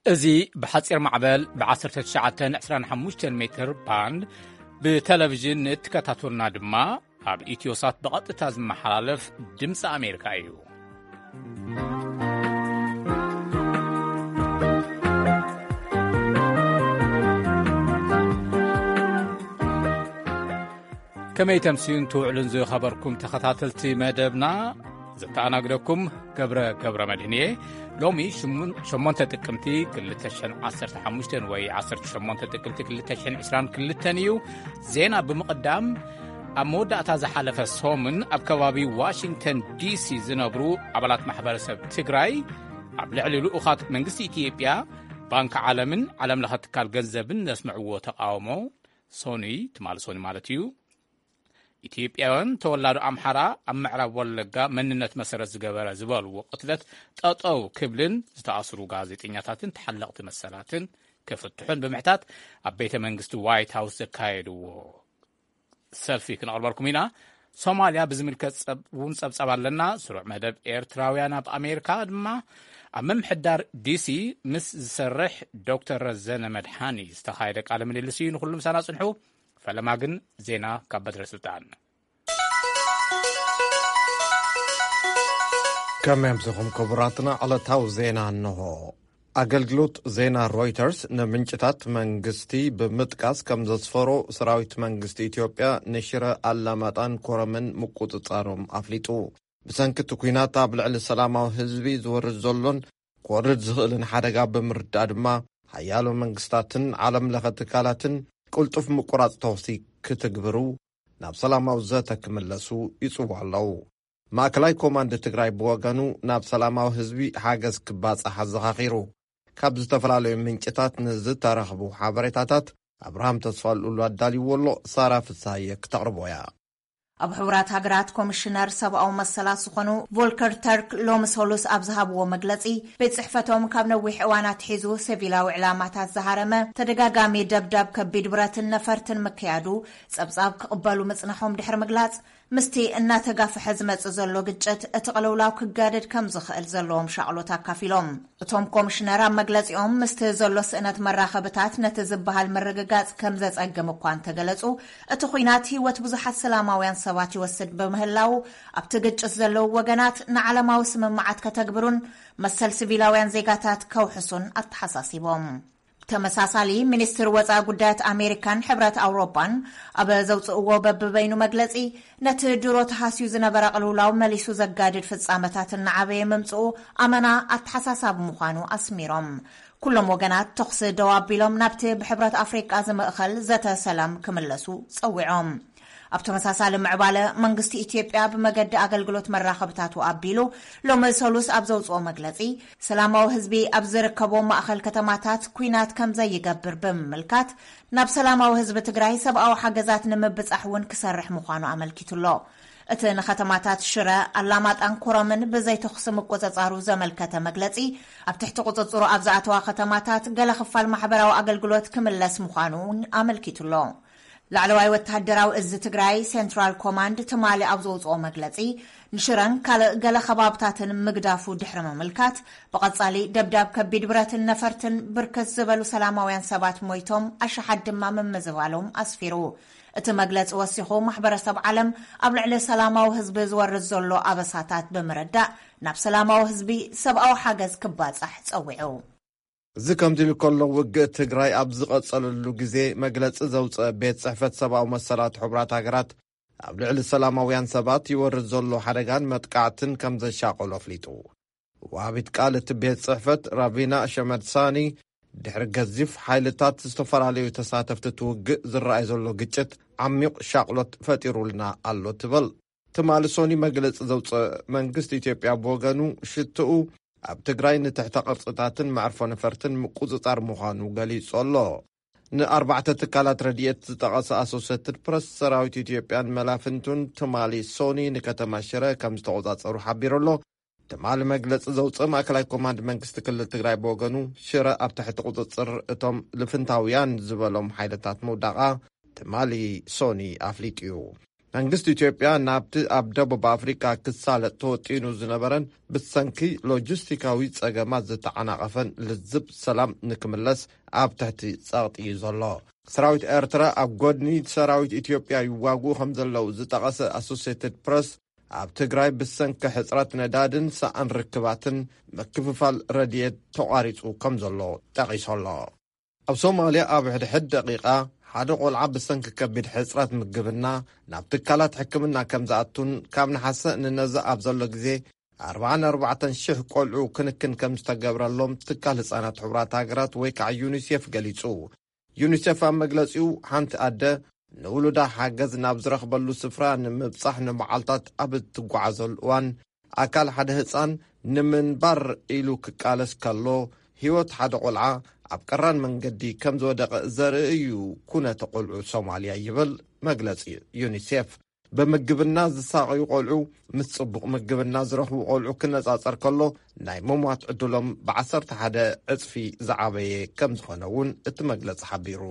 እዚ ብሓጺር ማዕበል ብ19 25 ሜትር ባንድ ብቴሌቪዥን ንእትከታተሉና ድማ ኣብ ኢትዮሳት ብቐጥታ ዝመሓላለፍ ድምፂ ኣሜሪካ እዩ። ከመይ ተምስዩን ትውዕሉን ዝኸበርኩም ተኸታተልቲ መደብና፣ ዘተኣናግደኩም ገብረ፣ ገብረ መድህን እየ። ሎሚ ሽሙን-፣ ሸሞንተ ጥቅምቲ ክልተ ሽሕን ዓሰርተ ሓሙሽተን ወይ ዓሰርተ ሸሞንተ ጥቅምቲ ክልተ ሽሕን ዕስራን ክልተን እዩ። ዜና ብምቕዳም፣ ኣብ መወዳእታ ዝሓለፈ ሰሙን ኣብ ከባቢ ዋሽንግተን ዲሲ ዝነብሩ ኣባላት ማሕበረሰብ ትግራይ ኣብ ልዕሊ ልኡኻት መንግስቲ ኢትዮጵያ፣ ባንክ ዓለምን ዓለም ለኸ ትካል ገንዘብን ዘስምዕዎ ተቃውሞ፣ ሶኒ ትማሊ ሶኒ ማለት እዩ፣ ኢትዮጵያውያን ተወላዶ ኣምሓራ ኣብ ምዕራብ ወለጋ መንነት መሰረት ዝገበረ ዝበልዎ ቅትለት ጠጠው ክብልን ዝተኣስሩ ጋዜጠኛታትን ተሓለቕቲ መሰላትን ክፍትሑን ብምሕታት ኣብ ቤተ መንግስቲ ዋይት ሃውስ ዘካየድዎ ሰልፊ ክነቕርበልኩም ኢና። ሶማልያ ብዝምልከት ጸብ-፣ እውን ጸብጻብ ኣለና። ስሩዕ መደብ ኤርትራውያን ኣብ ኣሜሪካ ድማ ኣብ ምምሕዳር ዲሲ ምስ ዝሰርሕ ዶክተር ረዘነ መድሓኒ ዝተኻየደ ቃለ ምልልስ እዩ። ንኹሉ ምሳና ጽንሑ። ፈለማ ግን ዜና ካብ በትረ ስልጣን። ከመይ ኣምሲኹም ክቡራትና? ዕለታዊ ዜና እንሆ። ኣገልግሎት ዜና ሮይተርስ ንምንጭታት መንግስቲ ብምጥቃስ ከም ዘስፈሮ፣ ሰራዊት መንግስቲ ኢትዮጵያ ንሽረ፣ ኣላማጣን ኮረምን ምቁጽጻሮም ኣፍሊጡ። ብሰንኪ እቲ ኲናት ኣብ ልዕሊ ሰላማዊ ህዝቢ ዝወርድ ዘሎን ክወርድ ዝኽእልን ሓደጋ ብምርዳእ ድማ፣ ሓያሎ መንግስታትን ዓለም ለኸ ትካላትን ቅልጡፍ ምቁራጽ ተኹሲ ክትግብሩ፣ ናብ ሰላማዊ ዘተ ክምለሱ ይጽውዑ ኣለዉ። ማእከላይ ኮማንድ ትግራይ ብወገኑ፣ ናብ ሰላማዊ ህዝቢ ሓገዝ ክባጻሕ ኣዘኻኺሩ። ካብ ዝተፈላለዩ ምንጭታት ንዝተረኽቡ ሓበሬታታት ኣብርሃም ተስፋልኡሉ ኣዳልይዎ ኣሎ። ሳራ ፍሳሃየ ክተቕርቦ እያ። ኣብ ሕቡራት ሃገራት ኮሚሽነር ሰብኣዊ መሰላት ዝኾኑ ቮልከር ተርክ ሎሚ ሰሉስ ኣብ ዝሃብዎ መግለጺ፣ ቤት ጽሕፈቶም ካብ ነዊሕ እዋን ኣትሒዙ ሲቪላዊ ዕላማታት ዝሃረመ ተደጋጋሚ ደብዳብ ከቢድ ብረትን ነፈርትን ምክያዱ ጸብጻብ ክቕበሉ ምጽናሖም ድሕሪ ምግላጽ፣ ምስቲ እናተጋፍሐ ዝመጽእ ዘሎ ግጭት እቲ ቅልውላው ክጋደድ ከም ዝኽእል ዘለዎም ሻቕሎት ኣካፊሎም። እቶም ኮሚሽነር ኣብ መግለጺኦም፣ ምስቲ ዘሎ ስእነት መራኸብታት ነቲ ዝበሃል ምርግጋጽ ከም ዘጸግም እኳ እንተገለጹ፣ እቲ ኲናት ህይወት ብዙሓት ሰላማውያን ሰባት ይወስድ ብምህላዉ፣ ኣብቲ ግጭት ዘለዉ ወገናት ንዓለማዊ ስምምዓት ከተግብሩን መሰል ሲቪላውያን ዜጋታት ከውሕሱን ኣተሓሳሲቦም። ተመሳሳሊ፣ ሚኒስትር ወጻኢ ጉዳያት ኣሜሪካን ሕብረት ኣውሮጳን ኣብ ዘውጽእዎ በብበይኑ መግለጺ፣ ነቲ ድሮ ተሃስዩ ዝነበረ ቅልውላው መሊሱ ዘጋድድ ፍጻመታት እናዓበየ ምምጽኡ ኣመና ኣተሓሳሳቢ ምዃኑ ኣስሚሮም። ኩሎም ወገናት ተኹሲ ደው ኣቢሎም ናብቲ ብሕብረት ኣፍሪቃ ዝምእኸል ዘተ ሰላም ክምለሱ ጸዊዖም። ኣብ ተመሳሳሊ ምዕባለ፣ መንግስቲ ኢትዮጵያ ብመገዲ ኣገልግሎት መራኸብታቱ ኣቢሉ ሎሚ ሰሉስ ኣብ ዘውጽኦ መግለጺ፣ ሰላማዊ ህዝቢ ኣብ ዝርከቦ ማእኸል ከተማታት ኲናት ከም ዘይገብር ብምምልካት፣ ናብ ሰላማዊ ህዝቢ ትግራይ ሰብኣዊ ሓገዛት ንምብጻሕ እውን ክሰርሕ ምዃኑ ኣመልኪቱ ኣሎ። እቲ ንከተማታት ሽረ፣ ኣላማጣን ኮረምን ብዘይ ተኹሲ ምቁጽጻሩ ዘመልከተ መግለጺ፣ ኣብ ትሕቲ ቁጽጽሩ ኣብ ዝኣተዋ ከተማታት ገለ ክፋል ማሕበራዊ ኣገልግሎት ክምለስ ምዃኑ እውን ኣመልኪቱ ኣሎ። ላዕለዋይ ወተሃደራዊ እዚ ትግራይ ሴንትራል ኮማንድ ትማሊ ኣብ ዘውፅኦ መግለፂ፣ ንሽረን ካልእ ገለ ከባብታትን ምግዳፉ ድሕሪ ምምልካት፣ ብቐፃሊ ደብዳብ ከቢድ ብረትን ነፈርትን ብርክት ዝበሉ ሰላማውያን ሰባት ሞይቶም፣ ኣሽሓት ድማ ምምዝባሎም ኣስፊሩ። እቲ መግለፂ ወሲኹ፣ ማሕበረሰብ ዓለም ኣብ ልዕሊ ሰላማዊ ህዝቢ ዝወርድ ዘሎ ኣበሳታት ብምርዳእ፣ ናብ ሰላማዊ ህዝቢ ሰብኣዊ ሓገዝ ክባፃሕ ፀዊዑ። እዚ ከምዚ ኢሉ ከሎ፣ ውግእ ትግራይ ኣብ ዝቐጸለሉ ግዜ መግለጺ ዘውጽአ ቤት ጽሕፈት ሰብኣዊ መሰላት ሕቡራት ሃገራት፣ ኣብ ልዕሊ ሰላማውያን ሰባት ይወርድ ዘሎ ሓደጋን መጥቃዕትን ከም ዘሻቐሎ ኣፍሊጡ። ወሃቢት ቃል እቲ ቤት ጽሕፈት ራቪና ሸመድሳኒ፣ ድሕሪ ገዚፍ ሓይልታት ዝተፈላለዩ ተሳተፍቲ እቲ ውግእ ዝረኣይ ዘሎ ግጭት ዓሚቕ ሻቕሎት ፈጢሩልና ኣሎ ትብል። ትማሊ ሶኒ መግለጺ ዘውጽአ መንግስቲ ኢትዮጵያ ብወገኑ፣ ሽትኡ ኣብ ትግራይ ንትሕተ ቅርጽታትን መዕርፎ ነፈርትን ምቁጽጻር ምዃኑ ገሊጹ ኣሎ። ንኣርባዕተ ትካላት ረድኤት ዝጠቐሰ ኣሶሴትድ ፕረስ፣ ሰራዊት ኢትዮጵያን መላፍንቱን ትማሊ ሶኒ ንከተማ ሽረ ከም ዝተቖጻጸሩ ሓቢሩ ኣሎ። ትማሊ መግለጺ ዘውጽእ ማእከላይ ኮማንድ መንግስቲ ክልል ትግራይ ብወገኑ፣ ሽረ ኣብ ትሕቲ ቁጽጽር እቶም ልፍንታውያን ዝበሎም ሓይልታት ምውዳቓ ትማሊ ሶኒ ኣፍሊጡ እዩ። መንግስቲ ኢትዮጵያ ናብቲ ኣብ ደቡብ ኣፍሪቃ ክሳለጥ ተወጢኑ ዝነበረን ብሰንኪ ሎጂስቲካዊ ጸገማት ዝተዓናቐፈን ልዝብ ሰላም ንክምለስ ኣብ ትሕቲ ጸቕጢ እዩ ዘሎ። ሰራዊት ኤርትራ ኣብ ጎድኒ ሰራዊት ኢትዮጵያ ይዋግኡ ከም ዘለዉ ዝጠቐሰ ኣሶሴትድ ፕረስ፣ ኣብ ትግራይ ብሰንኪ ሕጽረት ነዳድን ሰኣን ርክባትን ምክፍፋል ረድኤት ተቋሪጹ ከም ዘሎ ጠቒሱ ኣሎ። ኣብ ሶማልያ ኣብ ሕድሕድ ደቂቓ ሓደ ቆልዓ ብሰንኪ ከቢድ ሕጽረት ምግብና ናብ ትካላት ሕክምና ከም ዝኣቱን ካብ ነሓሰ ንነዘ ኣብ ዘሎ ግዜ ኣርባዓን ኣርባዕተን ሽሕ ቆልዑ ክንክን ከም ዝተገብረሎም ትካል ህጻናት ሕቡራት ሃገራት ወይ ከዓ ዩኒሴፍ ገሊጹ። ዩኒሴፍ ኣብ መግለጺኡ፣ ሓንቲ ኣደ ንውሉዳ ሓገዝ ናብ ዝረኽበሉ ስፍራ ንምብጻሕ ንመዓልታት ኣብ እትጓዓዘሉ እዋን፣ ኣካል ሓደ ህጻን ንምንባር ኢሉ ክቃለስ ከሎ፣ ህይወት ሓደ ቆልዓ ኣብ ቀራን መንገዲ ከም ዝወደቐ ዘርኢ እዩ ኩነተ ቆልዑ ሶማልያ፣ ይብል መግለጺ ዩኒሴፍ። ብምግብና ዝሳቐዩ ቆልዑ ምስ ጽቡቕ ምግብና ዝረኽቡ ቆልዑ ክነጻጸር ከሎ፣ ናይ ምሟት ዕድሎም ብዓሰርተ ሓደ ዕጽፊ ዝዓበየ ከም ዝኾነ እውን እቲ መግለጺ ሓቢሩ።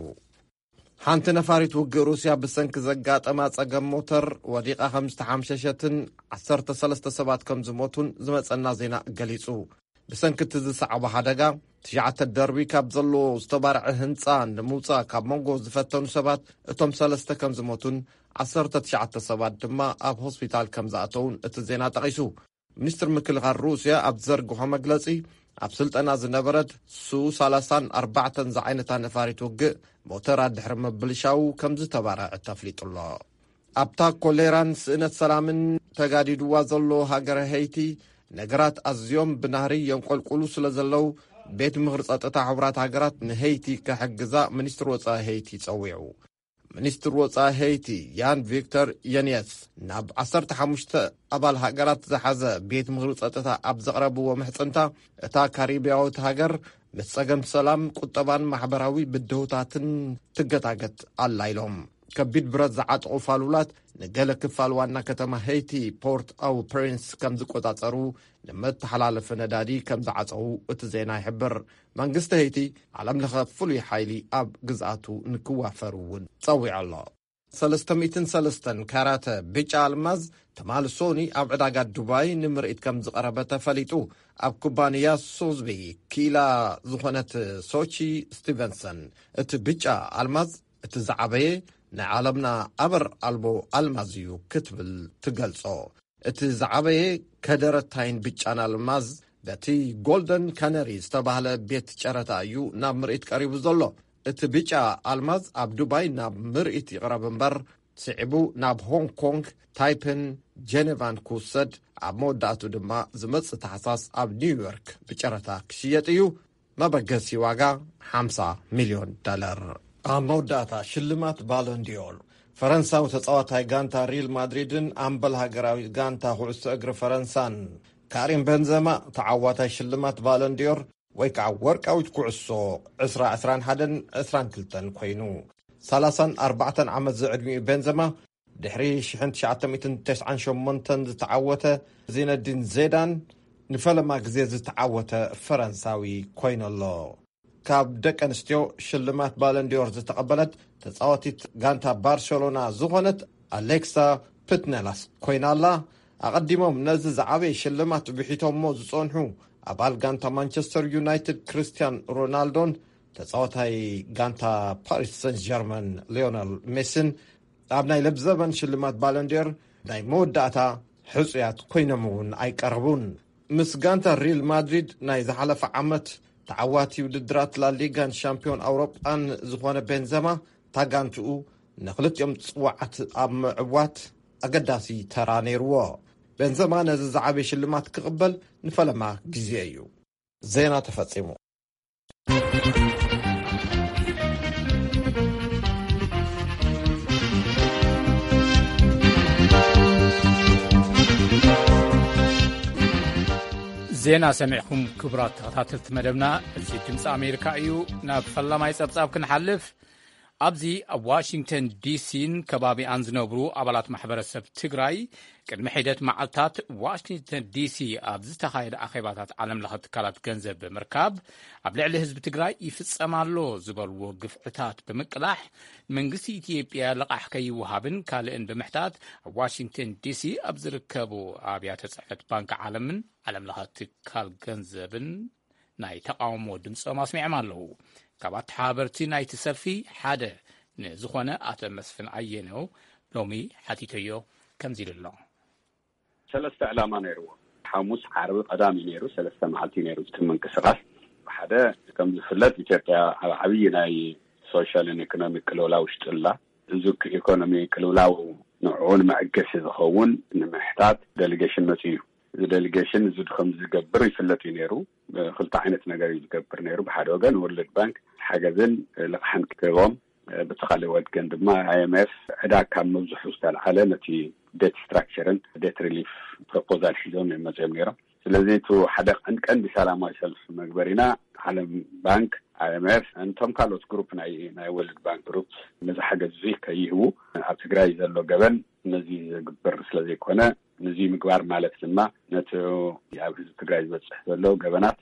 ሓንቲ ነፋሪት ውግእ ሩስያ ብሰንኪ ዘጋጠማ ጸገም ሞተር ወዲቓ ከም ዝተሓምሸሸትን ዓሰርተ ሰለስተ ሰባት ከም ዝሞቱን ዝመጸና ዜና ገሊጹ። ብሰንኪ እቲ ዝሰዓቦ ሓደጋ፣ ትሽዓተ ደርቢ ካብ ዘለዎ ዝተባርዐ ህንጻ ንምውጻእ ካብ መንጎ ዝፈተኑ ሰባት እቶም ሰለስተ ከም ዝሞቱን ዓሰርተ ትሽዓተ ሰባት ድማ ኣብ ሆስፒታል ከም ዝኣተውን እቲ ዜና ጠቒሱ። ሚኒስትር ምክልኻል ሩስያ ኣብ ዘርግሖ መግለጺ፣ ኣብ ስልጠና ዝነበረት ሱ ሰላሳን ኣርባዕተን ዝዓይነታ ነፋሪት ውግእ ሞተራ ድሕሪ ምብልሻው ከም ዝተባረዐ ተፍሊጡ ኣሎ። ኣብታ ኮሌራን ስእነት ሰላምን ተጋዲድዋ ዘሎ ሃገረ ሄይቲ፣ ነገራት ኣዝዮም ብናህሪ የንቆልቁሉ ስለ ዘለዉ፣ ቤት ምኽሪ ጸጥታ ሕቡራት ሃገራት ንሄይቲ ክሕግዛ ሚኒስትር ወጻኢ ሄይቲ ጸዊዑ። ሚኒስትር ወጻኢ ሄይቲ ያን ቪክተር የንየስ ናብ ዓሰርተ ሓሙሽተ ኣባል ሃገራት ዝሓዘ ቤት ምኽሪ ጸጥታ ኣብ ዘቕረብዎ ምሕጽንታ፣ እታ ካሪብያዊት ሃገር ምስ ጸገም ሰላም፣ ቁጠባን ማሕበራዊ ብድሆታትን ትገታገት ኣላ ኢሎም። ከቢድ ብረት ዝዓጠቑ ፋሉላት ንገለ ክፋል ዋና ከተማ ሄይቲ ፖርት ኣው ፕሪንስ ከም ዝቆጻጸሩ ንመተሓላለፊ ነዳዲ ከም ዝዓጸዉ እቲ ዜና ይሕብር። መንግስቲ ሄይቲ ዓለም ለኸ ፍሉይ ሓይሊ ኣብ ግዝኣቱ ንክዋፈር እውን ጸዊዑ ኣሎ። ሰለስተ ሚእትን ሰለስተን ካራተ ብጫ ኣልማዝ ትማሊ ሶኒ ኣብ ዕዳጋ ዱባይ ንምርኢት ከም ዝቐረበ ተፈሊጡ። ኣብ ኩባንያ ሶዝቢ ክኢላ ዝኾነት ሶቺ ስቲቨንሰን፣ እቲ ብጫ ኣልማዝ እቲ ዝዓበየ ናይ ዓለምና ኣበር ኣልቦ ኣልማዝ እዩ ክትብል ትገልጾ። እቲ ዝዓበየ ከደረታይን ብጫን ኣልማዝ በቲ ጎልደን ካነሪ ዝተባህለ ቤት ጨረታ እዩ ናብ ምርኢት ቀሪቡ ዘሎ። እቲ ብጫ ኣልማዝ ኣብ ዱባይ ናብ ምርኢት ይቕረብ እምበር፣ ስዒቡ ናብ ሆንግ ኮንግ፣ ታይፐን ጀኔቫን ክውሰድ፣ ኣብ መወዳእቱ ድማ ዝመጽእ ታሕሳስ ኣብ ኒውዮርክ ብጨረታ ክሽየጥ እዩ። መበገሲ ዋጋ ሓምሳ ሚልዮን ዶላር። ኣብ መወዳእታ ሽልማት ባሎንዲዮር፣ ፈረንሳዊ ተጻዋታይ ጋንታ ሪል ማድሪድን ኣምበል ሃገራዊ ጋንታ ኩዕሶ እግሪ ፈረንሳን ካሪም ቤንዘማ ተዓዋታይ ሽልማት ባሎንዲዮር ወይ ከዓ ወርቃዊት ኩዕሶ ዕስራ ዕስራን ሓደን ዕስራን ክልተን ኮይኑ። ሰላሳን ኣርባዕተን ዓመት ዝዕድሚኡ ቤንዘማ ድሕሪ ሽሕን ትሽዓተ ሚእትን ተስዓን ሸሞንተን ዝተዓወተ ዚነዲን ዜዳን ንፈለማ ግዜ ዝተዓወተ ፈረንሳዊ ኮይኑ ኣሎ። ካብ ደቂ ኣንስትዮ ሽልማት ባለንዲዮር ዝተቐበለት ተጻዋቲት ጋንታ ባርሴሎና ዝኾነት ኣሌክሳ ፕትነላስ ኮይና ኣላ። ኣቐዲሞም ነዚ ዝዓበየ ሽልማት ብሒቶሞ ዝጸንሑ ኣባል ጋንታ ማንቸስተር ዩናይትድ ክርስቲያን ሮናልዶን ተጻዋታይ ጋንታ ፓሪስ ሰን ጀርመን ሊዮነል ሜሲን ኣብ ናይ ለብዘበን ሽልማት ባለንዲዮር ናይ መወዳእታ ሕጹያት ኮይኖም እውን ኣይቀረቡን። ምስ ጋንታ ሪል ማድሪድ ናይ ዝሓለፈ ዓመት ተዓዋቲ ውድድራት ላሊጋን ሻምፒዮን ኣውሮጳን ዝኾነ ቤንዘማ፣ እታ ጋንትኡ ንኽልቲኦም ጽዋዓት ኣብ ምዕዋት ኣገዳሲ ተራ ነይርዎ። ቤንዘማ ነዚ ዝዓበየ ሽልማት ክቕበል ንፈለማ ግዜ እዩ። ዜና ተፈጺሙ። ዜና ሰሚዕኩም ክቡራት ተኸታተልቲ መደብና፣ እዚ ድምፂ ኣሜሪካ እዩ። ናብ ፈላማይ ጸብጻብ ክንሓልፍ፣ ኣብዚ ኣብ ዋሽንግተን ዲሲን ከባቢኣን ዝነብሩ ኣባላት ማሕበረሰብ ትግራይ፣ ቅድሚ ሒደት መዓልታት ዋሽንግተን ዲሲ ኣብ ዝተኻየደ ኣኼባታት ዓለም ለኸ ትካላት ገንዘብ ብምርካብ፣ ኣብ ልዕሊ ህዝቢ ትግራይ ይፍጸም ኣሎ ዝበልዎ ግፍዕታት ብምቅላሕ፣ መንግስቲ ኢትዮጵያ ልቓሕ ከይወሃብን ካልእን ብምሕታት፣ ኣብ ዋሽንግተን ዲሲ ኣብ ዝርከቡ ኣብያተ ጽሕፈት ባንክ ዓለምን ዓለም ለኸ ትካል ገንዘብን ናይ ተቓውሞ ድምጾም ኣስሚዖም ኣለዉ። ካብ ኣተሓባበርቲ ናይቲ ሰልፊ ሓደ ንዝኾነ ኣቶ መስፍን ኣየነው ሎሚ ሓቲተዮ፣ ከምዚ ኢሉ ኣሎ። ሰለስተ ዕላማ ነይርዎ። ሓሙስ፣ ዓርቢ፣ ቀዳም እዩ ነይሩ። ሰለስተ መዓልቲ እዩ ነይሩ እቲ ምንቅስቃስ። ሓደ፣ ከም ዝፍለጥ፣ ኢትዮጵያ ኣብ ዓብዪ ናይ ሶሻልን ኢኮኖሚክ ቅልውላው ውሽጢ ኣላ። እዚ ኢኮኖሚ ቅልውላው ንዕኡ ንመዐገሲ ዝኸውን ንምሕታት ዴሊጌሽን መፂኡ እዩ። እዚ ዴሊጌሽን እዚ ከም ዝገብር ይፍለጥ እዩ ነይሩ። ክልተ ዓይነት ነገር እዩ ዝገብር ነይሩ። ብሓደ ወገን ወርልድ ባንክ ሓገዝን ልቕሓን ክህቦም፣ ብቲ ካልእ ወገን ድማ ኣይ ኤም ኤፍ ዕዳ ካብ ምብዝሑ ዝተልዓለ ነቲ ዴት ስትራክቸርን ዴት ሪሊፍ ፕሮፖዛል ሒዞም እዮም መፅኦም ነይሮም። ስለዚ እቲ ሓደ ቀንዲ ቀንዲ ሰላማዊ ሰልፊ መግበሪና ዓለም ባንክ፣ ኣይ ኤም ኤፍ፣ እንቶም ካልኦት ግሩፕ ናይ ናይ ወርልድ ባንክ ግሩፕ ነዚ ሓገዝ እዚ ከይህቡ፣ ኣብ ትግራይ ዘሎ ገበን ነዚ ዝግበር ስለ ዘይኮነ፣ ነዚ ምግባር ማለት ድማ ነቲ ኣብ ህዝቢ ትግራይ ዝበፅሕ ዘሎ ገበናት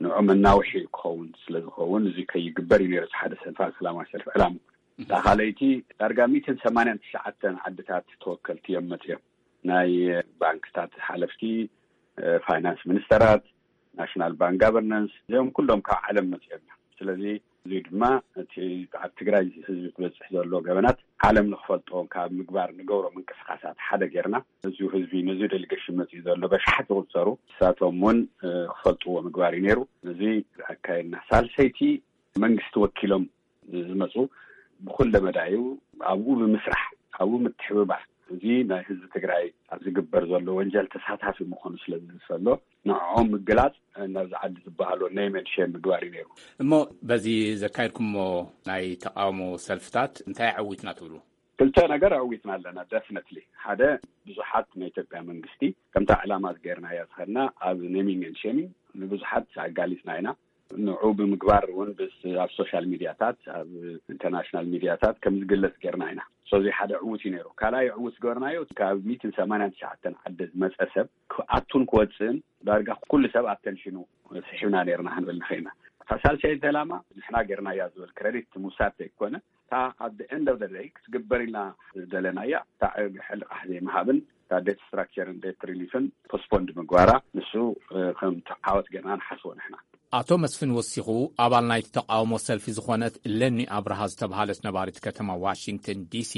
ንዑ መናውሒ ክኸውን ስለ ዝኸውን፣ እዚ ከይግበር እዩ ነይሩ እቲ ሓደ ሰልፋ ሰላማዊ ሰልፊ ዕላሙ። እታ ካልኣይቲ ዳርጋ ሚእትን ሰማንያን ትሽዓተን ዓድታት ተወከልቲ እዮም መፅኦም። ናይ ባንክታት ሓለፍቲ፣ ፋይናንስ ሚኒስተራት፣ ናሽናል ባንክ ጋቨርናንስ፣ እዚኦም ኩሎም ካብ ዓለም መፅኦም እዮም። ስለዚ እዚ ድማ እቲ ኣብ ትግራይ ህዝቢ ዝበፅሕ ዘሎ ገበናት ዓለም ንክፈልጦ ካብ ምግባር ንገብሮ ምንቅስቃሳት ሓደ ጌርና፣ እዚ ህዝቢ ነዚ ዴሊጌሽን መፅኡ ዘሎ በሽሓት ዝቁፀሩ ንሳቶም እውን ክፈልጥዎ ምግባር እዩ ነይሩ። እዚ ኣካየድና። ሳልሰይቲ መንግስቲ ወኪሎም ዝመፁ ብኩለ መዳዩ ኣብኡ ብምስራሕ ኣብኡ ምትሕብባር፣ እዚ ናይ ህዝቢ ትግራይ ኣብ ዝግበር ዘሎ ወንጀል ተሳታፊ ምዃኑ ስለ ዝዝፈሎ ንዕኦም ምግላፅ፣ ናብዚ ዓዲ ዝበሃሎ ኔም ኤንድ ሼም ምግባር እዩ ነይሩ። እሞ በዚ ዘካየድኩሞ ናይ ተቃውሞ ሰልፍታት እንታይ ኣዕዊትና ትብሉ? ክልተ ነገር ኣዕዊትና ኣለና። ደፍነትሊ ሓደ፣ ብዙሓት ናይ ኢትዮጵያ መንግስቲ ከምታ ዕላማ ጌርናያ ዝኸድና ኣብ ኔሚንግ ኤንድ ሼሚንግ ንብዙሓት ኣጋሊፅና ኢና። ንዑ ብምግባር እውን ብስ ኣብ ሶሻል ሚዲያታት፣ ኣብ ኢንተርናሽናል ሚዲያታት ከም ዝግለጽ ጌርና ኢና። ሶዚ ሓደ ዕዉት እዩ ነይሩ። ካልኣይ ዕዉት ዝገበርናዮ ካብ ሚእትን ሰማንያን ትሽዓተን ዓዲ ዝመጸ ሰብ ክኣቱን ክወፅእን ዳርጋ ኩሉ ሰብ ኣተንሽኑ ስሒብና ነርና ክንብል ንኽእልና። እታ ሳልሰይቲ ዕላማ ንሕና ጌርናያ ዝብል ክረዲት ምውሳድ ዘይኮነ፣ እታ ኣብ the end of the day ክትግበር ኢልና ዝደለናያ እታ ሕልቃሕ ዘይምሃብን እታ ዴት ስትራክቸርን ዴት ሪሊፍን ፖስፖንድ ምግባራ፣ ንሱ ከም ዓወት ጌርና ንሓስቦ ንሕና። ኣቶ መስፍን ወሲኹ፣ ኣባል ናይቲ ተቃውሞ ሰልፊ ዝኾነት ለኒ ኣብርሃ ዝተባሃለት ነባሪት ከተማ ዋሽንግተን ዲሲ፣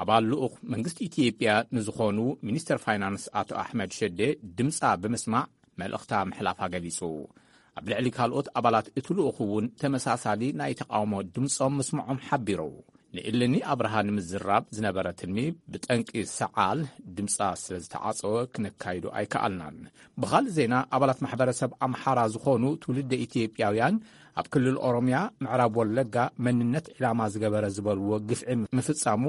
ኣባል ልኡኽ መንግስቲ ኢትዮጵያ ንዝኾኑ ሚኒስተር ፋይናንስ ኣቶ ኣሕመድ ሸዴ ድምጻ ብምስማዕ መልእኽታ ምሕላፋ ገሊጹ። ኣብ ልዕሊ ካልኦት ኣባላት እቲ ልኡኽ እውን ተመሳሳሊ ናይ ተቃውሞ ድምጾም ምስምዖም ሓቢሩ። ንእልኒ ኣብርሃ ንምዝራብ ዝነበረ ትልሚ ብጠንቂ ሰዓል ድምጻ ስለ ዝተዓጸወ ክነካይዶ ኣይከኣልናን። ብኻልእ ዜና፣ ኣባላት ማሕበረሰብ ኣምሓራ ዝኾኑ ትውልደ ኢትዮጵያውያን ኣብ ክልል ኦሮምያ ምዕራብ ወለጋ መንነት ዕላማ ዝገበረ ዝበልዎ ግፍዒ ምፍጻሙ፣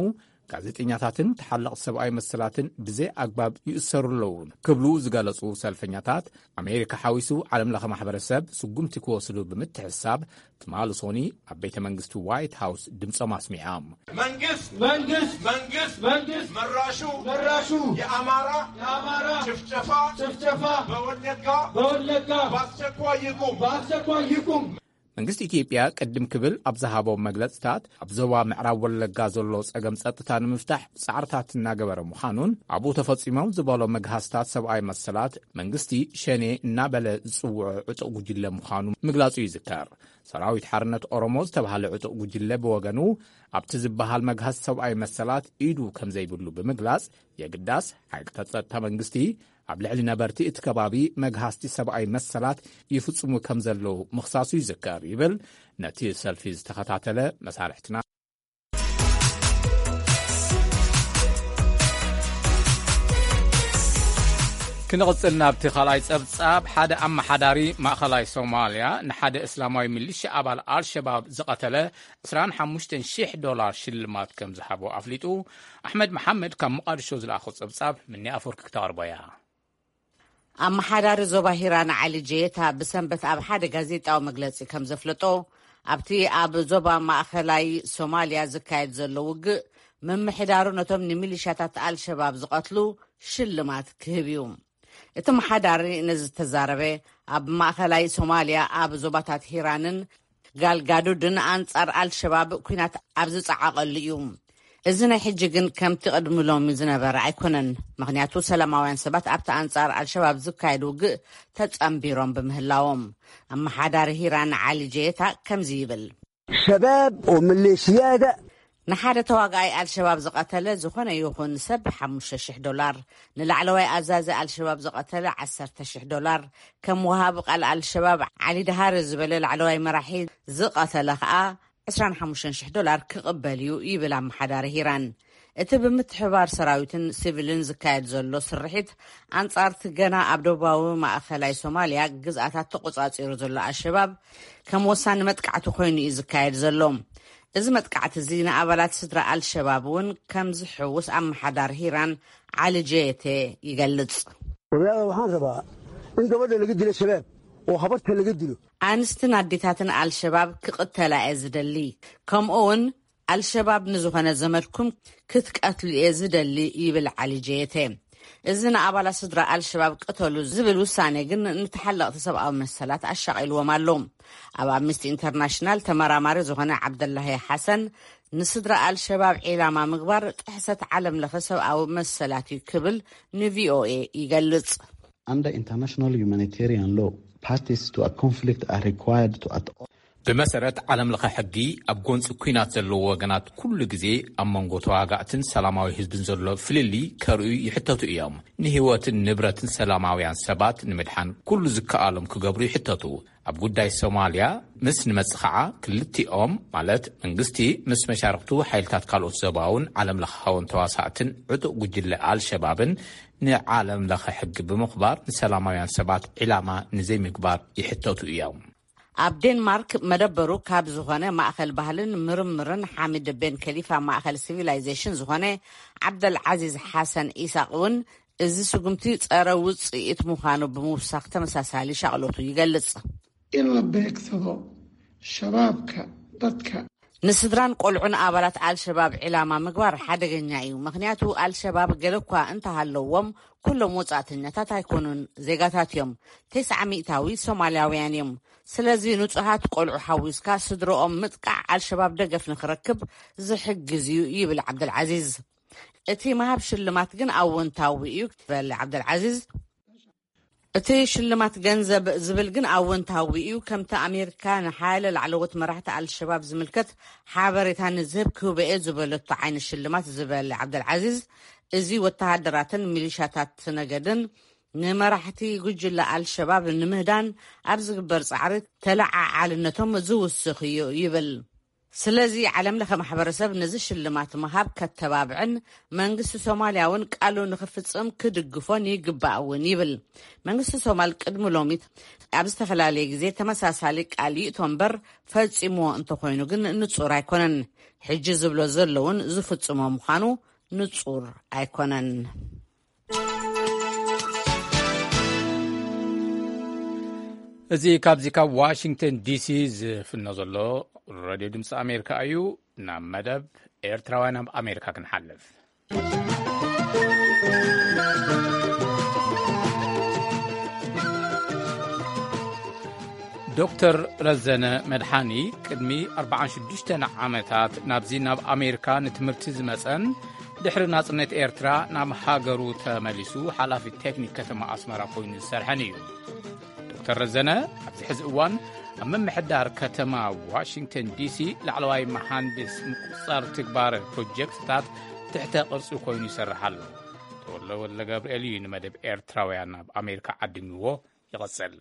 ጋዜጠኛታትን ተሓለቕቲ ሰብኣዊ መሰላትን ብዘይ ኣግባብ ይእሰሩ ኣለዉ ክብሉ ዝገለጹ ሰልፈኛታት፣ ኣሜሪካ ሓዊሱ ዓለም ለኸ ማሕበረሰብ ስጉምቲ ክወስዱ ብምትሕሳብ፣ ትማሊ ሶኒ ኣብ ቤተ መንግስቲ ዋይት ሃውስ ድምጾም ኣስሚዖም። መንግስት መንግስት መንግስት መንግስት መራሹ መራሹ የአማራ የአማራ ጭፍጨፋ ጭፍጨፋ በወለጋ በወለጋ በአስቸኳይ ይቁም በአስቸኳይ ይቁም። መንግስቲ ኢትዮጵያ ቅድም ክብል ኣብ ዝሃቦ መግለጽታት፣ ኣብ ዞባ ምዕራብ ወለጋ ዘሎ ጸገም ጸጥታ ንምፍታሕ ጻዕርታት እናገበረ ምዃኑን፣ ኣብኡ ተፈጺሞም ዝበሎ መግሃስታት ሰብኣዊ መሰላት መንግስቲ ሸኔ እናበለ ዝጽውዖ ዕጡቕ ጉጅለ ምዃኑ ምግላጹ ይዝከር። ሰራዊት ሓርነት ኦሮሞ ዝተባህለ ዕጡቕ ጉጅለ ብወገኑ፣ ኣብቲ ዝበሃል መግሃስ ሰብኣዊ መሰላት ኢዱ ከም ዘይብሉ ብምግላጽ፣ የግዳስ ሓይልታት ጸጥታ መንግስቲ ኣብ ልዕሊ ነበርቲ እቲ ከባቢ መግሃስቲ ሰብኣዊ መሰላት ይፍጽሙ ከም ዘለዉ ምኽሳሱ ይዝከር ይብል ነቲ ሰልፊ ዝተኸታተለ መሳርሕትና። ክንቕጽል ናብቲ ካልኣይ ጸብጻብ። ሓደ ኣመሓዳሪ ማእኸላይ ሶማልያ ንሓደ እስላማዊ ሚሊሻ ኣባል ኣልሸባብ ዝቐተለ ዕስራን ሓሙሽተን ሺሕ ዶላር ሽልማት ከም ዝሃቦ ኣፍሊጡ። ኣሕመድ መሓመድ ካብ መቓድሾ ዝለኣኾ ጸብጻብ ምኒ ኣፈወርቂ ክተቕርቦ እያ። ኣመሓዳሪ ዞባ ሂራን ዓሊ ጀየታ ብሰንበት ኣብ ሓደ ጋዜጣዊ መግለጺ ከም ዘፍለጦ፣ ኣብቲ ኣብ ዞባ ማእኸላይ ሶማልያ ዝካየድ ዘሎ ውግእ ምምሕዳሩ ነቶም ንሚሊሻታት ኣልሸባብ ዝቐትሉ ሽልማት ክህብ እዩ። እቲ መሓዳሪ ነዚ ዝተዛረበ፣ ኣብ ማእኸላይ ሶማልያ ኣብ ዞባታት ሂራንን ጋልጋዱድን ኣንጻር ኣልሸባብ ኲናት ኣብ ዝጸዓቐሉ እዩ። እዚ ናይ ሕጂ ግን ከምቲ ቅድሚ ሎሚ ዝነበረ ኣይኮነን፣ ምኽንያቱ ሰላማውያን ሰባት ኣብቲ ኣንጻር ኣልሸባብ ዝካየድ ውግእ ተጸንቢሮም ብምህላዎም። ኣመሓዳሪ ሂራን ዓሊ ጀየታ ከምዚ ይብል። شباب وميليشيات ንሓደ ተዋጋኣይ ኣልሸባብ ዝቐተለ ዝኾነ ይኹን ሰብ ሓሙሽተ ሽሕ ዶላር፣ ንላዕለዋይ ኣዛዚ ኣልሸባብ ዝቐተለ ዓሰርተ ሽሕ ዶላር፣ ከም ወሃቢ ቃል ኣልሸባብ ዓሊ ድሃር ዝበለ ላዕለዋይ መራሒ ዝቐተለ ከኣ ዕስራን ሓሙሽተን ሽሕ ዶላር ክቕበል እዩ ይብል ኣመሓዳሪ ሂራን። እቲ ብምትሕባር ሰራዊትን ሲቪልን ዝካየድ ዘሎ ስርሒት ኣንጻርቲ ገና ኣብ ደቡባዊ ማእኸላይ ሶማልያ ግዝኣታት ተቆጻጺሩ ዘሎ ኣልሸባብ ከም ወሳኒ መጥቃዕቲ ኮይኑ እዩ ዝካየድ ዘሎ። እዚ መጥቃዕቲ እዚ ንኣባላት ስድራ ኣልሸባብ እውን ከም ዝሕውስ ኣመሓዳሪ ሂራን ዓሊ ጀየቴ ይገልጽ። Waxaan rabaa in gabadha laga dilo shabaab oo habarta laga dilo ኣንስትን ኣዴታትን ኣልሸባብ ክቕተላ እየ ዝደሊ፣ ከምኡ እውን ኣልሸባብ ንዝኾነ ዘመድኩም ክትቀትሉ እየ ዝደሊ ይብል ዓሊ ጀየቴ። እዚ ንኣባላት ስድራ ኣልሸባብ ቅተሉ ዝብል ውሳኔ ግን ንተሓለቕቲ ሰብኣዊ መሰላት ኣሻቒልዎም ኣሎ። ኣብ ኣምነስቲ ኢንተርናሽናል ተመራማሪ ዝኾነ ዓብደላሂ ሓሰን፣ ንስድራ ኣልሸባብ ዒላማ ምግባር ጥሕሰት ዓለም ለኸ ሰብኣዊ መሰላት እዩ ክብል ንቪኦኤ ይገልጽ። Under international humanitarian law, parties to a conflict are required to at ብመሰረት ዓለም ለኸ ሕጊ፣ ኣብ ጎንፂ ኲናት ዘለዉ ወገናት ኩሉ ግዜ ኣብ መንጎ ተዋጋእትን ሰላማዊ ህዝብን ዘሎ ፍልልይ ከርእዩ ይሕተቱ እዮም። ንህይወትን ንብረትን ሰላማውያን ሰባት ንምድሓን ኩሉ ዝከኣሎም ክገብሩ ይሕተቱ። ኣብ ጉዳይ ሶማልያ ምስ ንመጽእ ኸዓ፣ ክልቲኦም ማለት መንግስቲ ምስ መሻርክቱ ሓይልታት ካልኦት ዞባውን ዓለም ለኻውን ተዋሳእትን ዕጡቕ ጉጅለ ኣልሸባብን ንዓለም ለኸ ሕጊ ብምኽባር ንሰላማውያን ሰባት ዒላማ ንዘይምግባር ይሕተቱ እዮም። ኣብ ዴንማርክ መደበሩ ካብ ዝኾነ ማእኸል ባህልን ምርምርን ሓሚድ ቤን ከሊፋ ማእኸል ሲቪላይዜሽን ዝኾነ ዓብደል ዓዚዝ ሓሰን ኢሳቕ እውን፣ እዚ ስጉምቲ ጸረ ውጽኢት ምዃኑ ብምውሳኽ ተመሳሳሊ ሻቕሎቱ ይገልጽ። In la beegsado shabaabka, dadka ንስድራን ቆልዑን ኣባላት ኣልሸባብ ዒላማ ምግባር ሓደገኛ እዩ። ምኽንያቱ ኣልሸባብ ገለ እኳ እንተሃለዎም፣ ኩሎም ወጻእተኛታት ኣይኮኑን፣ ዜጋታት እዮም። ተስዓ ሚእታዊ ሶማልያውያን እዮም። ስለዚ ንጹሃት ቆልዑ ሓዊስካ ስድረኦም ምጥቃዕ ኣልሸባብ ደገፍ ንኽረክብ ዝሕግዝ እዩ ይብል ዓብደልዓዚዝ። እቲ ምሃብ ሽልማት ግን ኣወንታዊ እዩ ዝበለ ዓብደልዓዚዝ፣ እቲ ሽልማት ገንዘብ ዝብል ግን ኣወንታዊ እዩ። ከምቲ ኣሜሪካ ንሓያለ ላዕለዎት መራሕቲ ኣልሸባብ ዝምልከት ሓበሬታ ንዝህብ ክህቦ እየ ዝበለቶ ዓይነት ሽልማት ዝበለ ዓብደልዓዚዝ፣ እዚ ወተሃደራትን ሚሊሻታት ነገድን ንመራሕቲ ጉጅለ ኣልሸባብ ንምህዳን ኣብ ዝግበር ጻዕሪ ተለዓዓልነቶም ዝውስኽ እዩ ይብል። ስለዚ ዓለም ለኸ ማሕበረሰብ ነዚ ሽልማት ምሃብ ከተባብዕን መንግስቲ ሶማልያ እውን ቃሉ ንኽፍጽም ክድግፎን ይግባእ እውን ይብል። መንግስቲ ሶማል ቅድሚ ሎሚ ኣብ ዝተፈላለየ ግዜ ተመሳሳሊ ቃል ይእቶ እምበር፣ ፈጺምዎ እንተኾይኑ ግን ንጹር ኣይኮነን። ሕጂ ዝብሎ ዘሎ እውን ዝፍጽሞ ምዃኑ ንጹር ኣይኮነን። እዚ ካብዚ ካብ ዋሽንግተን ዲሲ ዝፍኖ ዘሎ ሬድዮ ድምፂ ኣሜሪካ እዩ። ናብ መደብ ኤርትራውያን ኣብ ኣሜሪካ ክንሓልፍ። ዶክተር ረዘነ መድሓኒ ቅድሚ ኣርባዓን ሽዱሽተን ዓመታት ናብዚ ናብ ኣሜሪካ ንትምህርቲ ዝመጸን ድሕሪ ናጽነት ኤርትራ ናብ ሃገሩ ተመሊሱ ሓላፊ ቴክኒክ ከተማ ኣስመራ ኮይኑ ዝሰርሐን እዩ። ዶክተር ረዘነ ኣብዚ ሕዚ እዋን ኣብ ምምሕዳር ከተማ ዋሽንግተን ዲሲ ላዕለዋይ መሃንድስ ምቁጽጻር ትግባረ ፕሮጀክትታት ትሕተ ቅርጺ ኮይኑ ይሰርሕ ኣሎ። ተወልደ ወልደ ገብርኤል እዩ ንመደብ ኤርትራውያን ኣብ ኣሜሪካ ዓዲምዎ። ይቐጽል።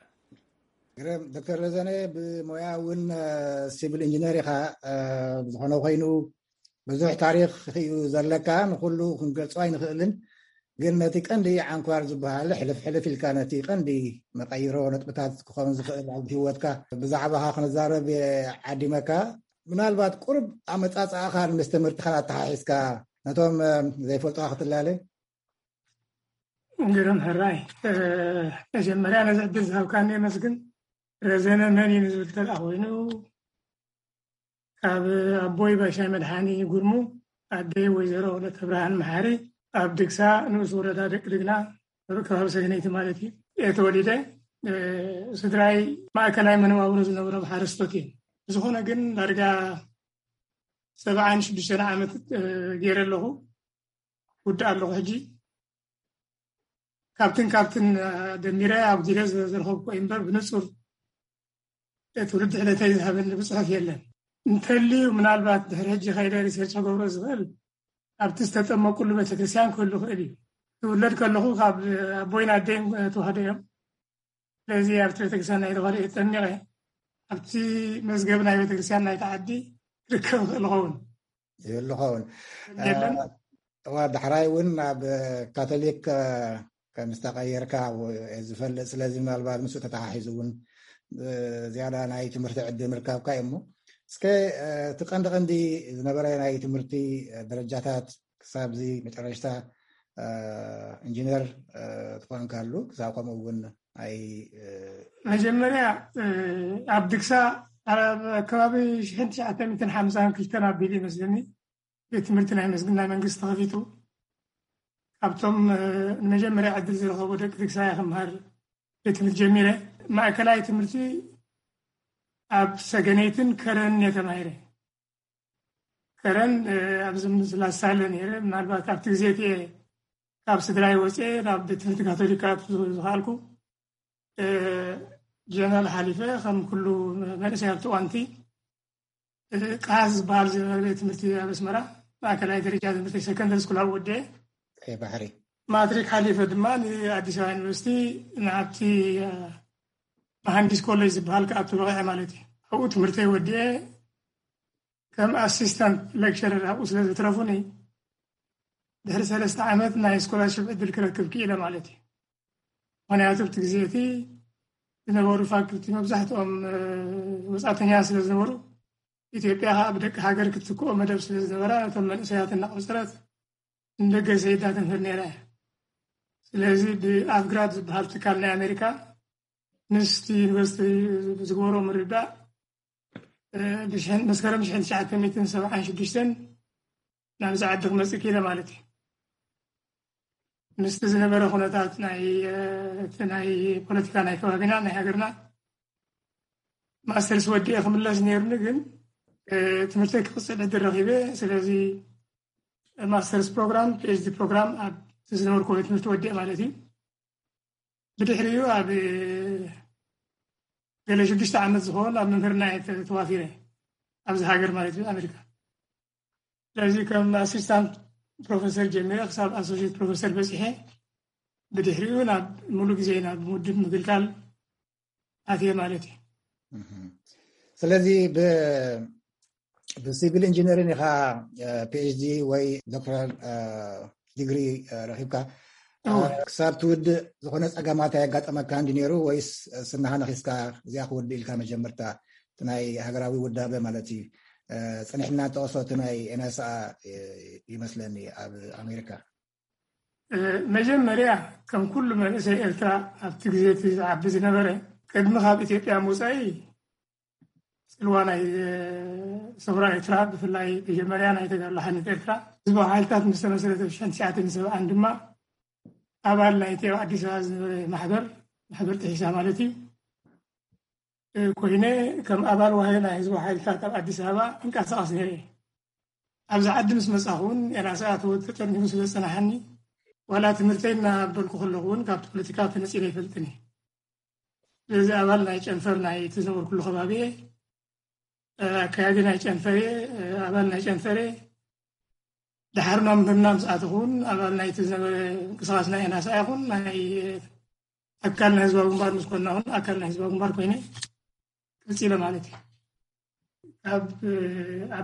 ግርም። ዶክተር ረዘነ ብሞያ እውን ሲቪል ኢንጂነር ኢኻ። ብዝኾነ ኮይኑ ብዙሕ ታሪኽ እዩ ዘለካ፣ ንኹሉ ክንገልጾ ኣይንኽእልን። ግን ነቲ ቀንዲ ዓንኳር ዝበሃል ሕልፍ ሕልፍ ኢልካ ነቲ ቀንዲ መቐይሮ ነጥብታት ክኸውን ዝኽእል ኣብ ህይወትካ ብዛዕባኻ ክንዛረብ ዓዲመካ። ምናልባት ቁርብ ኣመጻጽኣኻ ምስ ትምህርትኻ ኣተሓሒዝካ ነቶም ዘይፈልጡኻ ክትላለ። ግርም ሕራይ፣ መጀመርያ ነዚ ዕድል ዝሃብካኒ የመስግን። ረዘነ መን እዩ ንዝብል ተልኣ ኮይኑ፣ ካብ ኣቦይ ባሻይ መድሓኒ ጉርሙ፣ ኣደይ ወይዘሮ ወለተ ብርሃን መሓሪ፣ ኣብ ድግሳ ንኡስ ወረዳ ደቂ ድግና፣ ኣብ ከባቢ ሰገነይቲ ማለት እዩ፣ እየ ተወሊደ። ስድራይ ማእከላይ መነባብሮ ዝነበሮም ሓረስቶት እዮም። ብዝኾነ ግን ዳርጋ ሰብዓን ሽዱሽተን ዓመት ገይረ ኣለኹ፣ ውድእ ኣለኹ ሕጂ። ካብትን ካብትን ደሚረ ኣጉዲለ ዝረኸብኩ እምበር ብንጹር ትውልዲ ዕለተይ ዝሃበኒ ብጽሑፍ የለን። እንተልዩ ምናልባት ድሕሪ ሕጂ ከይደ ሪሰርች ክገብሮ ዝኽእል ኣብቲ ዝተጠመቁሉ ቤተክርስትያን ክህሉ ክእል እዩ። ትውለድ ከለኹ ካብ ኣቦይን ኣደይን ተዋህዶ እዮም። ስለዚ ኣብቲ ቤተክርስትያን ናይ ተዋህዶ እየ ተጠሚቐ። ኣብቲ መዝገብ ናይ ቤተክርስትያን ናይቲ ዓዲ ክርከብ ይኽእል ይኸውን። ይህሉ ኸውን። የለን። እዋ ዳሕራይ እውን ኣብ ካቶሊክ ከም ዝተቐየርካ ዝፈልጥ፣ ስለዚ ምናልባት ምስ ተተሓሒዙ እውን ዝያዳ ናይ ትምህርቲ ዕድል ምርካብካ እዩ። እሞ እስከ እቲ ቀንዲ ቀንዲ ዝነበረ ናይ ትምህርቲ ደረጃታት ክሳብ እዚ መጨረሽታ ኢንጂነር ትኾንካሉ ክሳብ ከምኡ እውን ኣይ መጀመርያ ኣብ ድግሳ ኣብ ከባቢ ሽሕን ትሽዓተ ሚእትን ሓምሳን ክልተን ኣቢሉ ይመስለኒ ቤት ትምህርቲ ናይ መስግን ናይ መንግስቲ ተኸፊቱ። ካብቶም ንመጀመርያ ዕድል ዝረኸቡ ደቂ ድግሳ እየ ክምሃር ቤት ትምህርቲ ጀሚረ። ማእከላይ ትምህርቲ ኣብ ሰገነይትን ከረንን እየ ተማሂረ። ከረን ኣብዚ ምስላስ ሳለ ነይረ። ምናልባት ኣብቲ ግዜ እቲ ካብ ስድራይ ወፅኤ ናብ ቤት ትምህርቲ ካቶሊክ ክኣቱ ዝኸኣልኩ ጀነራል ሓሊፈ ከም ኩሉ መንእሰይ ኣብቲ እዋንቲ ቃስ ዝበሃል ዝነበረ ቤት ትምህርቲ ኣብ ኣስመራ ማእከላይ ደረጃ ትምህርቲ ሰከንደሪ ስኩል ኣብ ወዲኤ ባሕሪ ማትሪክ ሓሊፈ ድማ ንኣዲስ ኣበባ ዩኒቨርሲቲ ንኣብቲ መሃንዲስ ኮሌጅ ዝበሃል ክኣቱ በቂዐ ማለት እዩ። ኣብኡ ትምህርተይ ወዲኤ ከም ኣሲስታንት ሌክቸረር ኣብኡ ስለ ዘትረፉኒ ድሕሪ ሰለስተ ዓመት ናይ ስኮላርሽፕ ዕድል ክረክብ ክኢለ ማለት እዩ። ምክንያቱ ኣብቲ ግዜ እቲ ዝነበሩ ፋክልቲ መብዛሕትኦም ወፃእተኛ ስለ ዝነበሩ ኢትዮጵያ ከዓ ብደቂ ሃገር ክትትክኦ መደብ ስለ ዝነበራ ነቶም መንእሰያት እናቆፀረት ንደገ ሰይዳ ተምህር ነይራ እያ። ስለዚ ብኣፍግራድ ዝበሃል ትካል ናይ ኣሜሪካ ምስቲ ዩኒቨርሲቲ ዝገበሮ ምርዳእ መስከረም ሽሕን ትሽዓተ ሚእትን ሰብዓን ሽዱሽተን ናብዚ ዓዲ ክመፅእ ክኢለ ማለት እዩ። ምስቲ ዝነበረ ኩነታት ናይ ፖለቲካ ናይ ከባቢና ናይ ሃገርና ማስተርስ ወዲኤ ክምለስ ነይሩኒ፣ ግን ትምህርተይ ክቕፅል ዕድል ረኺበ። ስለዚ ማስተርስ ፕሮግራም ፒኤችዲ ፕሮግራም ኣብ ዝነበርኩ ቤት ትምህርቲ ወዲኤ ማለት እዩ። ብድሕሪኡ ኣብ ገለ ሽዱሽተ ዓመት ዝኸውን ኣብ ምምህርና እየ ተዋፊረ ኣብዚ ሃገር ማለት እዩ ኣሜሪካ። ስለዚ ከም ኣሲስታንት ፕሮፌሰር ጀሚረ ክሳብ ኣሶሽት ፕሮፌሰር በፂሐ ብድሕሪኡ ናብ ሙሉ ግዜ ናብ ውድብ ምግልጋል ኣትየ ማለት እዩ። ስለዚ ብሲቪል ኢንጂነሪን ኢኻ ፒኤችዲ ወይ ዶክተራል ዲግሪ ረኪብካ ክሳብ ትውድእ ዝኾነ ፀገማት ኣየጋጠመካ እንዲ ነይሩ ወይስ ስናኻ ነኺስካ እዚኣ ክውድእ ኢልካ መጀመርታ ናይ ሃገራዊ ውዳበ ማለት እዩ? ፀኒሕና ጠቕሶ እቲ ናይ ኤንኤስኣ ይመስለኒ ኣብ ኣሜሪካ። መጀመርያ ከም ኩሉ መንእሰይ ኤርትራ ኣብቲ ግዜ እቲ ዝዓቢ ዝነበረ ቅድሚ ካብ ኢትዮጵያ ምውፃኢ ፅልዋ ናይ ሰውራ ኤርትራ ብፍላይ መጀመርያ ናይ ተጋድሎ ሓርነት ኤርትራ ህዝባዊ ሓይልታት ምስ ተመስረተ ብ ትሽዓተ ሰብዓን ድማ ኣባል ናይቲ ኣብ ኣዲስ ኣበባ ዝነበረ ማሕበር ማሕበር ጥሒሳ ማለት እዩ ኮይነ ከም ኣባል ዋህዮ ናይ ህዝባዊ ሓይልታት ኣብ ኣዲስ ኣበባ እንቀሳቐስ ነይረ። ኣብዚ ዓዲ ምስ መፃኹ እውን ኤናስኣ ተወ ተጠርኒፉ ስለ ዝፀናሓኒ ዋላ ትምህርተይ እናበልኩ ከለኹ እውን ካብቲ ፖለቲካ ተነፂለ ኣይፈልጥን እየ። ስለዚ ኣባል ናይ ጨንፈር ናይ እቲ ዝነበርኩሉ ከባቢ እየ። ኣካያዲ ናይ ጨንፈር እየ፣ ኣባል ናይ ጨንፈር እየ። ድሓር ናብ ምህርና ምስ ኣተኹ እውን ኣባል ናይቲ ዝነበረ ምንቅስቃስ ናይ ኤናስኣ ይኹን ናይ ኣካል ናይ ህዝባዊ ግንባር ምስ ኮንና እውን ኣካል ናይ ህዝባዊ ግንባር ኮይነ ቀፂለ ማለት እዩ። ኣብ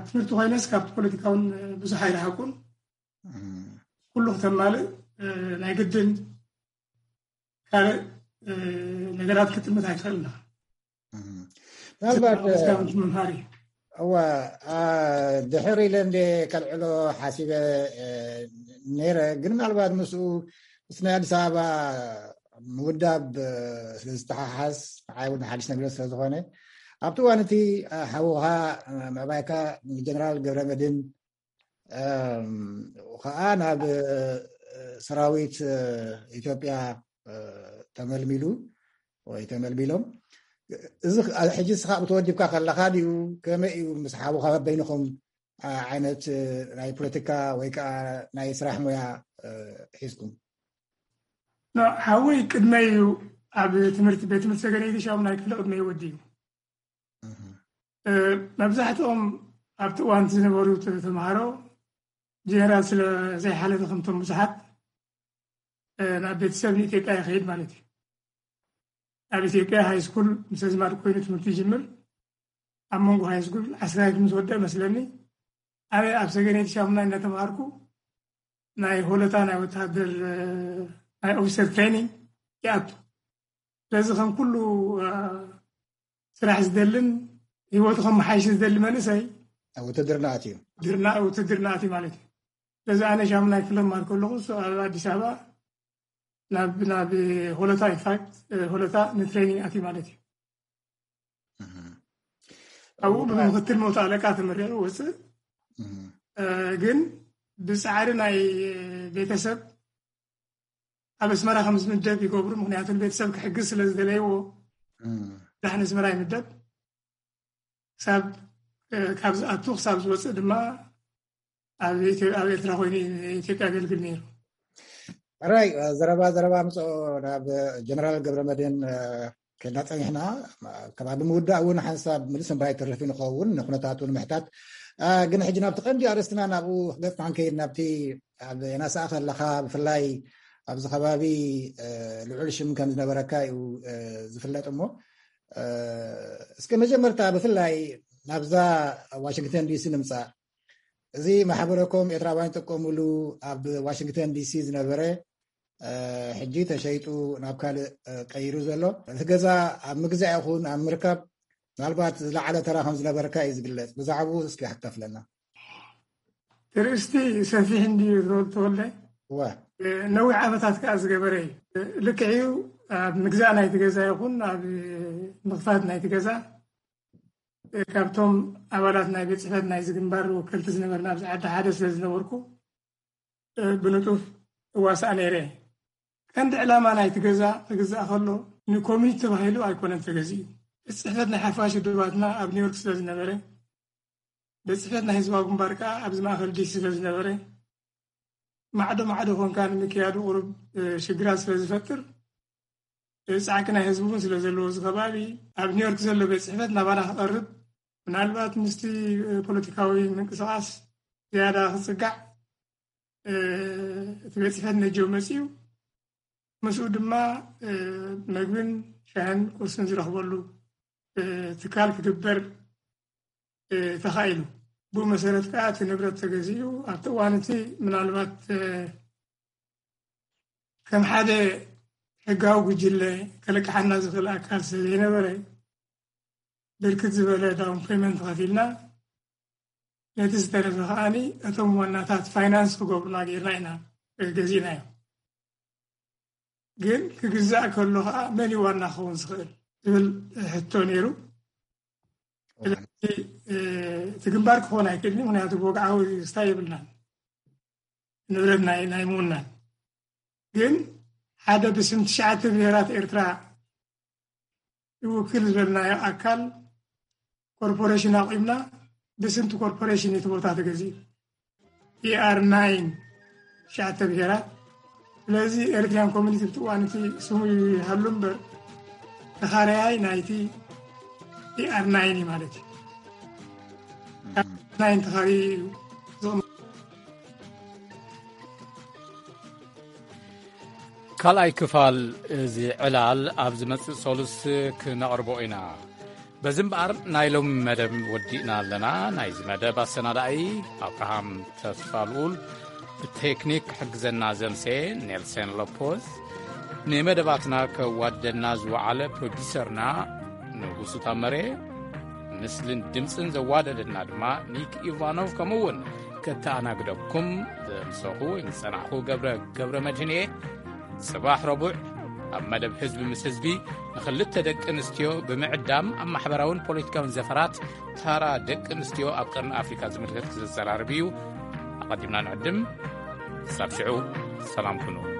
ትምህርቲ ኮይነስ ካብ ፖለቲካ እውን ብዙሕ ኣይረሓቁን። ኩሉ ክተማልእ ናይ ግድን ካልእ ነገራት ክትጥምት ኣይትኽእልና። ምናልባት ምምሃር እዩ። እዋ ድሕር ኢለ እንደ ከልዕሎ ሓሲበ ነይረ፣ ግን ምናልባት ምስኡ ምስ ናይ ኣዲስ ኣበባ ምውዳብ ስለ ዝተሓሓዝ፣ ንዓይ እውን ሓድሽ ነገር ስለ ዝኾነ፣ ኣብቲ እዋን እቲ ሓውኻ ምዕባይካ ንጀነራል ገብረመድህን ከዓ ናብ ሰራዊት ኢትዮጵያ ተመልሚሉ ወይ ተመልሚሎም፣ እዚ ሕጂ ንስኻ ተወዲብካ ከለኻ ድዩ? ከመይ እዩ ምስ ሓውኻ በይንኹም ዓይነት ናይ ፖለቲካ ወይ ከዓ ናይ ስራሕ ሞያ ሒዝኩም? ሓወይ ቅድመይ እዩ፣ ኣብ ትምህርቲ ቤት ትምህርቲ ሰገነይቲ ሻሙናይ ክፍሊ ቅድመይ ወዲ እዩ። መብዛሕትኦም ኣብቲ እዋንቲ ዝነበሩ ተምሃሮ ጀነራል ስለ ዘይሓለፈ ከምቶም ብዙሓት ናብ ቤተሰብ ንኢትዮጵያ ይኸይድ ማለት እዩ። ኣብ ኢትዮጵያ ሃይስኩል ምስ ኣዝማድ ኮይኑ ትምህርቲ ይጅምር። ኣብ መንጎ ሃይስኩል ዓስራይ ምስ ወደ መስለኒ ኣነ ኣብ ሰገነይቲ ሻሙናይ እናተምሃርኩ ናይ ሆለታ ናይ ወታደር ናይ ኦፊሰር ትሬኒንግ ይኣቱ። ስለዚ ከም ኩሉ ስራሕ ዝደልን ህይወቱ ከመሓይሽ ዝደሊ መንእሰይ ውትድርና ኣትዩ። ውትድርና ኣትዩ ማለት እዩ። ስለዚ ኣነ ሻሙናይ ክፍሊ ክመሃር ከለኹ እሱ ኣብ ኣዲስ ኣበባ ናብ ናብ ሆለታ ኢንፋክት ሆለታ ንትሬኒንግ ኣትዩ ማለት እዩ። ኣብኡ ብምክትል መቶ ኣለቃ ተመሪቑ ወፅእ። ግን ብፃዕሪ ናይ ቤተሰብ ኣብ ኣስመራ ከም ዝምደብ ይገብሩ። ምክንያቱ ንቤተሰብ ክሕግዝ ስለ ዝደለይዎ ዳሕን ኣስመራ ይምደብ። ክሳብ ካብ ዝኣቱ ክሳብ ዝወፅእ ድማ ኣብ ኤርትራ ኮይኑ ኢትዮጵያ ኣገልግል ነይሩ። ራይ ዘረባ ዘረባ ምፅኦ ናብ ጀነራል ገብረመድህን ከና ፀኒሕና፣ ከባቢ ምውዳእ እውን ሓንሳብ ምልስ እምበር ኣይተርፍን ይኸውን ንኩነታቱ ንምሕታት። ግን ሕጂ ናብቲ ቀንዲ ኣርእስትና ናብኡ ክገፅና ንከይድ፣ ናብቲ ኣብ ናሳኣ ከለኻ ብፍላይ ኣብዚ ከባቢ ልዑል ሽም ከም ዝነበረካ እዩ ዝፍለጥ። እሞ እስከ መጀመርታ ብፍላይ ናብዛ ዋሽንግተን ዲሲ ንምፃእ፣ እዚ ማሕበረኮም ኤርትራውያን ይጥቀምሉ ኣብ ዋሽንግተን ዲሲ ዝነበረ ሕጂ ተሸይጡ ናብ ካልእ ቀይሩ ዘሎ እቲ ገዛ ኣብ ምግዛእ ይኹን ኣብ ምርካብ ምናልባት ዝለዓለ ተራ ከም ዝነበረካ እዩ ዝግለጽ። ብዛዕባኡ እስኪ ክተፍለና። ትርእስቲ ሰፊሕ እንድዩ ተወልደ። ነዊሕ ዓመታት ከዓ ዝገበረ እዩ። ልክዕ እዩ። ኣብ ምግዛእ ናይቲ ገዛ ይኹን ኣብ ምኽፋት ናይቲ ገዛ ካብቶም ኣባላት ናይ ቤት ጽሕፈት ናይዚ ግንባር ወከልቲ ዝነበርና ኣብዚ ዓዲ ሓደ ስለ ዝነበርኩ ብንጡፍ እዋሳእ ነይረ። ቀንዲ ዕላማ ናይቲ ገዛ ክግዛእ ከሎ ንኮሚኒቲ ተባሂሉ ኣይኮነን ተገዚኡ። ቤት ጽሕፈት ናይ ሓፋሽ ውድባትና ኣብ ኒውዮርክ ስለ ዝነበረ፣ ቤት ጽሕፈት ናይ ህዝባዊ ግንባር ከኣ ኣብዚ ማእከል ዲሲ ስለ ዝነበረ፣ ማዕዶ ማዕዶ ኮንካ ንምክያዱ ቁሩብ ሽግራት ስለ ዝፈጥር፣ ጻዕቂ ናይ ህዝቢ እውን ስለ ዘለዎ እዚ ከባቢ ኣብ ኒውዮርክ ዘሎ ቤት ጽሕፈት ናባና ክቐርብ፣ ምናልባት ምስቲ ፖለቲካዊ ምንቅስቓስ ዝያዳ ክጽጋዕ እቲ ቤት ጽሕፈት ነጀው መጺኡ፣ ምስኡ ድማ መግብን ሻህን ቁርስን ዝረኽበሉ ትካል ክግበር ተኻኢሉ። ብኡ መሰረት ከዓ እቲ ንብረት ተገዚኡ። ኣብቲ እዋን እቲ ምናልባት ከም ሓደ ሕጋዊ ጉጅለ ከለቅሓና ዝኽእል ኣካል ስለ ዘይነበረ፣ ብርክት ዝበለ ዳውን ፔመንት ከፊልና፣ ነቲ ዝተረፈ ከዓኒ እቶም ዋናታት ፋይናንስ ክገብሩና ጌርና ኢና ገዚእናዮ። ግን ክግዛእ ከሎ ከዓ መን እዩ ዋና ክኸውን ዝኽእል ዝብል ሕቶ ነይሩ። ስለዚ እቲ ግንባር ክኾን ኣይክእልን፣ ምክንያቱ ብወግዓዊ ስታይ የብልናን፣ ንብረት ናይ ናይ ምውናን። ግን ሓደ ብስም ትሽዓተ ብሄራት ኤርትራ ይውክል ዝበልናዮ ኣካል ኮርፖሬሽን ኣቑምና፣ ብስምቲ ኮርፖሬሽን እቲ ቦታ ተገዚኡ። ኢኣር ናይን ትሽዓተ ብሄራት። ስለዚ ኤሪትሪያን ኮሚኒቲ ብቲ እዋን እቲ ስሙ ይሃሉ እምበር ተኻረያይ ናይቲ ኢኣር ናይን እዩ ማለት እዩ። ናይን ተኻሪ እዩ ዝቕመጥ። ካልኣይ ክፋል እዚ ዕላል ኣብ ዝመጽእ ሰሉስ ክነቕርቦ ኢና። በዚ እምበኣር ናይ ሎሚ መደብ ወዲእና ኣለና። ናይዚ መደብ ኣሰናዳኢ ኣብርሃም ተስፋ ልኡል፣ ብቴክኒክ ክሕግዘና ዘምሰ ኔልሰን ሎፖዝ፣ ንመደባትና ከዋደና ዝወዓለ ፕሮዲሰርና ንጉሱ ታመረ፣ ምስልን ድምፅን ዘዋደደና ድማ ኒክ ኢቫኖቭ፣ ከምኡ እውን ከተኣናግደኩም ዘምሰኹ ወይ ዝጸናሕኹ ገብረ ገብረ መድህን እየ። ጽባሕ ረቡዕ ኣብ መደብ ህዝቢ ምስ ህዝቢ ንኽልተ ደቂ ኣንስትዮ ብምዕዳም ኣብ ማሕበራውን ፖለቲካውን ዘፈራት ታራ ደቂ ኣንስትዮ ኣብ ቀርኒ ኣፍሪካ ዝምልከት ክዘራረብ እዩ። ኣቐዲምና ንዕድም። ክሳብ ሽዑ ሰላም ኩኑ።